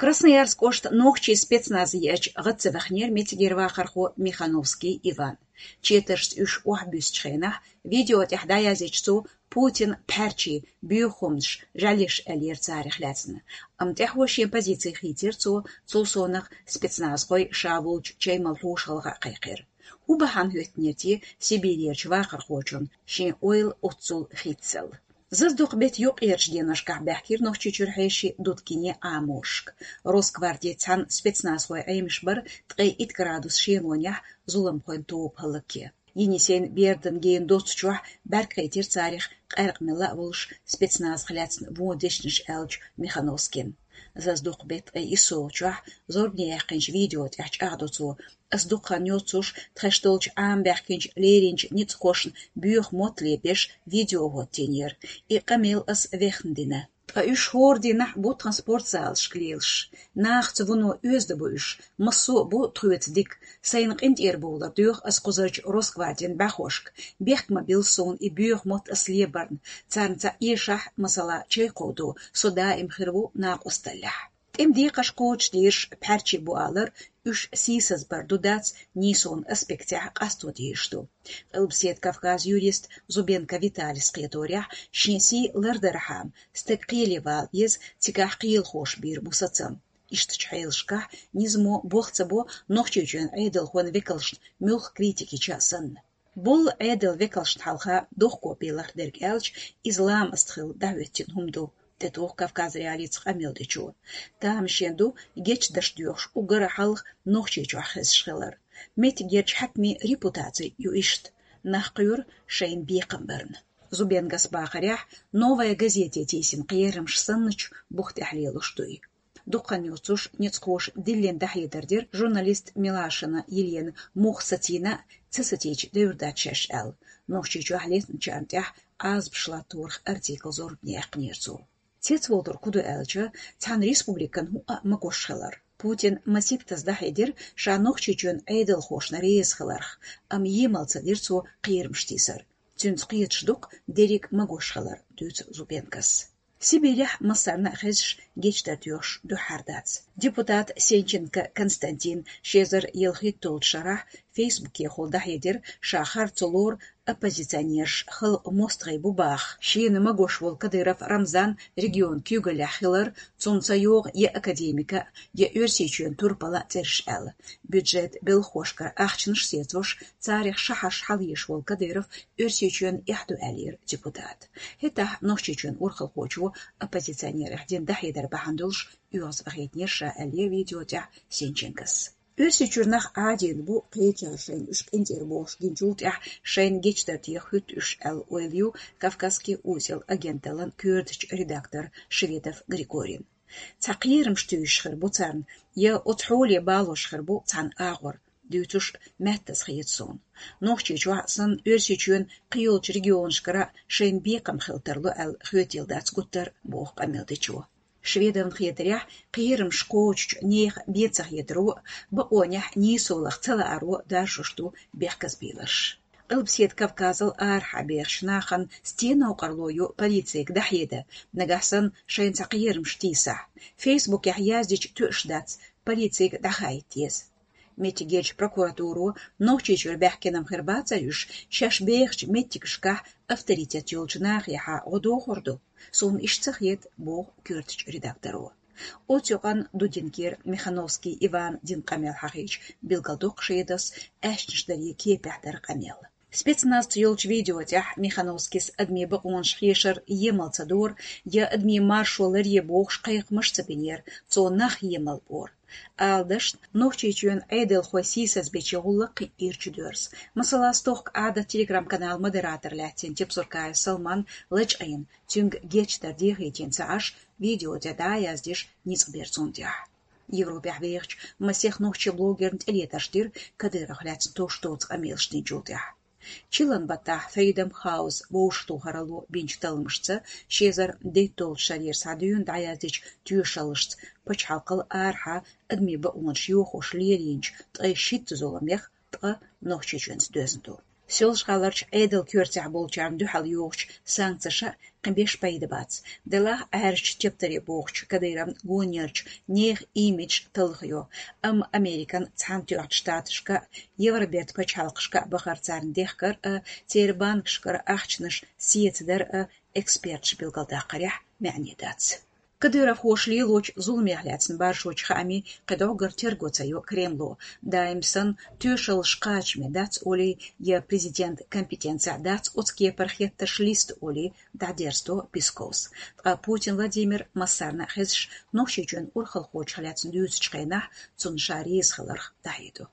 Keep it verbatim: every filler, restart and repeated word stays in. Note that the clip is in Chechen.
Красноярск кӀоштан нохчийн спецназ еача гӀад ца вахнера меттигера вахархо Михановский Иван. Четаршца уьш охьабуьссучу хенахь видео тӀехь дӀаяздича цо Путин пхьарчий, боьха хӀуманаш, жӀаьлеш аьллера царах лаьцна. Амма тӀаьхьо шен позици хийцира цо, цул совнаха спецназхой ша волчу чай мала хьошалгӀа а кхайкхира. ХӀун бахьана хӀоьттинера те Сибирерчу вахархочун шен ойла оццул хийцалла? Зазадоккху беттан юккъерчу деношкахь баьхкира Нохчийчуьра хьеший Дудкине Ӏаморшка. Росгвардин цхьана спецназхойн Ӏемаш бара ткъе итт градус шелонехь зуламхойн тоба хӀаллакъе. Енисейн бердан гена доццучохь бӀаьрг кхийтира царах къаьркъа мелла а волуш спецназах лаьцна вон дешнаш аьллачу Михановскина. Зазадоккху беттан ткъе иссолгӀачохь зорбане яьккхинчу видео тӀехь чӀагӀдо цо: «Ас дукха хан йоццуш тхаьш долчу Ӏамабаьхкинчу леринчу ницкъахошна боьха мотт лебеш видео хӀоттийнера. И къамел ас вехна дина. Ткъа уьш хӀора дийнахь бу тхан спортзалашка лелаш. Нахаца вуно оьзда бу уьш, массо а бу тхоьца дика. Сайна къинтӀера бовлар доьху ас кхузарчу Росгвардин бӀаьхошка. Бехк ма билла суна и боьха мотт ас лебарна. Царна цхьаъ эшахь, масала, чай кховдо, со даим хир ву накъосталлехь». ТӀеман декхарш кхочушдеш пхьарчий бу алар, уьш сийсазбар ду-дац нийсонан аспектехь къасто дезаш ду. Къилбаседа Кавказан юрист Зубенко Виталис кхеторехь, шен сий лардархьама, стаг кхеле вала веза, цигахь кхелахоша бийр бу сацам. Ишттачу хьелашкахь низамо болх ца бо Нохчийчоьнан Ӏедалхойн векалшна муьлхха критика йича а санна. Болу Ӏедалан векалшна хьалха дохко бен лардерг аьлча, иза ламаст хилла дӀахӀоьттина хӀума ду, тӀетуху Кавказ.Реалиица къамел дечо. Тамашийна ду гечдарш доьхуш уггар а хьалха Нохчийчохь хезаш хилар. Меттигерчу хьаькамийн репутаци ю иштта: нах кхоьру шайна бекхам барна. Зубенкос бахарехь, «Новая газете» тийсина кхерамаш санначу бух тӀехь лелош ду и. Дукха хан йоццуш ницкъахоша диллина дӀахьедар дира, журналист Милашина Елена муха сацийна а ца сацийча девр дац шаьш аьлла, Нохчийчохь лецначарна тӀехь Ӏазапаш латторах артикл зорбане яьккхинера цо. Цецвалар хӀун ду аьлча, цхьана республикан хӀуъа а магош хилар. Путина масийттаза дӀахьедира ша Нохчийчоьнан Ӏедалхошна реза хиларх, амма емал ца дира цо кхерамаш тийсар. Цуьнца кхеташ ду-кх дерриг а магош хилар, дуьйцу Зубенкос. Сибирехь массарна а хезаш гечдар доьхуш дуьххьара дац. Депутат Сенченко Константина ши эзар ялхитталгӀачу шарахь Фейсбукехула дӀахьедира, ша харцо лору оппозиционераш халкъан мостагӀий бу баха. Шена магош волу Кадыров Рамзан регионан куьйгаллехь хилар, цунна ца йогӀу я академикан, я Оьрсийчоьнан турпала цӀераш аьлла. Бюджетан белхахошкара ахчанаш сецош, царах шахьарш хьалаеш волу Кадыров Оьрсийчоьнна эхь ду аьллера депутата. ХӀетахь Нохчийчоьнан урхалхочо оппозиционерех дина дӀахьедар бахьана долуш оьгӀаз вахийтинера ша аьллера видео тӀехь Сенченкос. Оьрсийчуьра нах Ӏадийна бу, кхечара шайна уьш къинтӀера бохуш гинчул тӀаьхьа шайна гечдар деха хӀуьтту уьш аьлла ойла ю «Кавказский узел» агенталлан коьртачу редактора Шведов Григорина. Цхьа кхерамаш туьйсуш хир бу царна, я оцу хьоле балош хир бу цхьана агӀор, дуьйцуш меттаза хета суна. Нохчийчохь а санна, Оьрсийчоьнан кхийолчу регионашкара шайна бекхам хила тарло аьлла хетийла дац гуттар а, боху къамел дечо. Шведовна хетарехь, кхерамаш кхочучу нехан бен ца хетаро а, бакъонехь нийсо лаха ца лааро а даржош ду бехказбийларш. Къилбаседа Кавказал арахьа бехачу нахана стен новкъарло ю полицега дӀахьеда, нагахь санна шайна цхьа кхерамаш тийсахь? Фейсбукехь яздича тоьаш дац, полицега дӀахаийта деза. Меттигерчу прокуратуро Нохчийчуьра баьхкина-м хир бацара уьш, шаьш бехачу меттигашкахь авторитет йолчу нахехьа гӀо дохур ду. Суна иштта ца хета, боху коьртачу редакторо. Оцу юкъанна Дудинкера Михановский Ивана дина къамел хьахийча, билгалдоккху Шведовс аьшнаш даре кепехь дара къамел. Спецназца йолчу видео тӀехь Михановскис адамийн бакъонаш хешар емал ца дора, я адамийн маршо ларъе бохуш кхайкхамаш ца бинера, цо нах емал бора. Ала дашна, Нохчийчоьнан Ӏедалхой сийсазбечийн гӀуллакх кхин а ирча доьрзу. Масала, стохка «Ӏадат» Telegram-каналан модератор лаьттина Тепсуркаев Салман лачкъийна, цуьнга гечдар дехийтина ца Ӏаш, видео тӀе дӀа а яздеш, ницкъ бира цунна тӀехь. Европехь вехачу масех нохчийн блогерна тӀелетарш дира Кадыровх лаьцна товш доцу къамелаш динчул тӀаьхьа. Чиллан баттахь Freedom House вовшахтохаралло бинчу талламашца, ши эзар дейтталгӀачу шарера схьадуьйна дӀаяздичу тоьшаллашца, пачхьалкхал арахьа адамийн бакъонаш йохош лелийначу ткъе шийтта зуламех ткъа Нохчийчоьнца доьзна ду. Соьлжа-ГӀаларчу Ӏедалан коьртехь болчарна дуьхьал йохучу санкцеша кхин беш пайда бац. Делахь Ӏаьржачу тептаре бохучу Кадыровн гонъеллачу нехан имидж талхайо, амма Американ Цхьаьнатоьхначу Штаташка а, Евробертан пачхьалкхашка а бахар царна дехкар а, церан банкашкара ахчанаш сецадар а эксперташа билгалдаккхарехь маьӀне дац. Кадыровхоша лелочу зуламех лаьцна баржочу хаамийн кхин дӀоггара терго ца йо Кремло. Даим санна, тоьшаллаш кхачаме дац олий, я президентан компетенцехь дац оцу кепара хеттарш листа олий, дӀадерзадо Песковс. Ткъа Путин Владимир массарна а хезаш, Нохчийчоьнан урхалхочух лаьцна дуьйцучу хенахь цунна ша реза хиларх дӀахьедо.